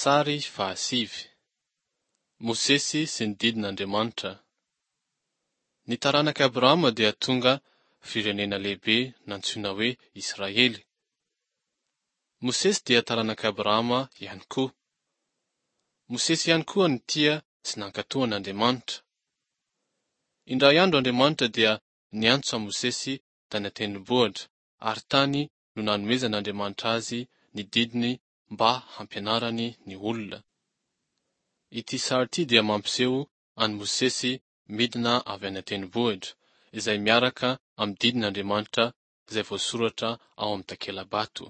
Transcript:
Sary fahasivy. Mosesy sy ny didin'Andriamanitra. Ny taranak'i Abrahama dia tonga firenena lehibe nantsoina hoe Israely. Mosesy dia taranak'i Abrahama ihany koa. Mosesy ihany koa nitia sy nankatò an'Andriamanitra. Indray andro Andriamanitra dia niantso an'i Mosesy tany an-tendrombohitra ary tany no nanomezan'Andriamanitra azy ny didiny mba hampianarany ny olona. Ity sary ity dia mampiseho an'i Mosesy midina avy any an-tendrombohitra, izay miaraka amin'ny didin'Andriamanitra izay voasoratra ao amin'ny takela-bato.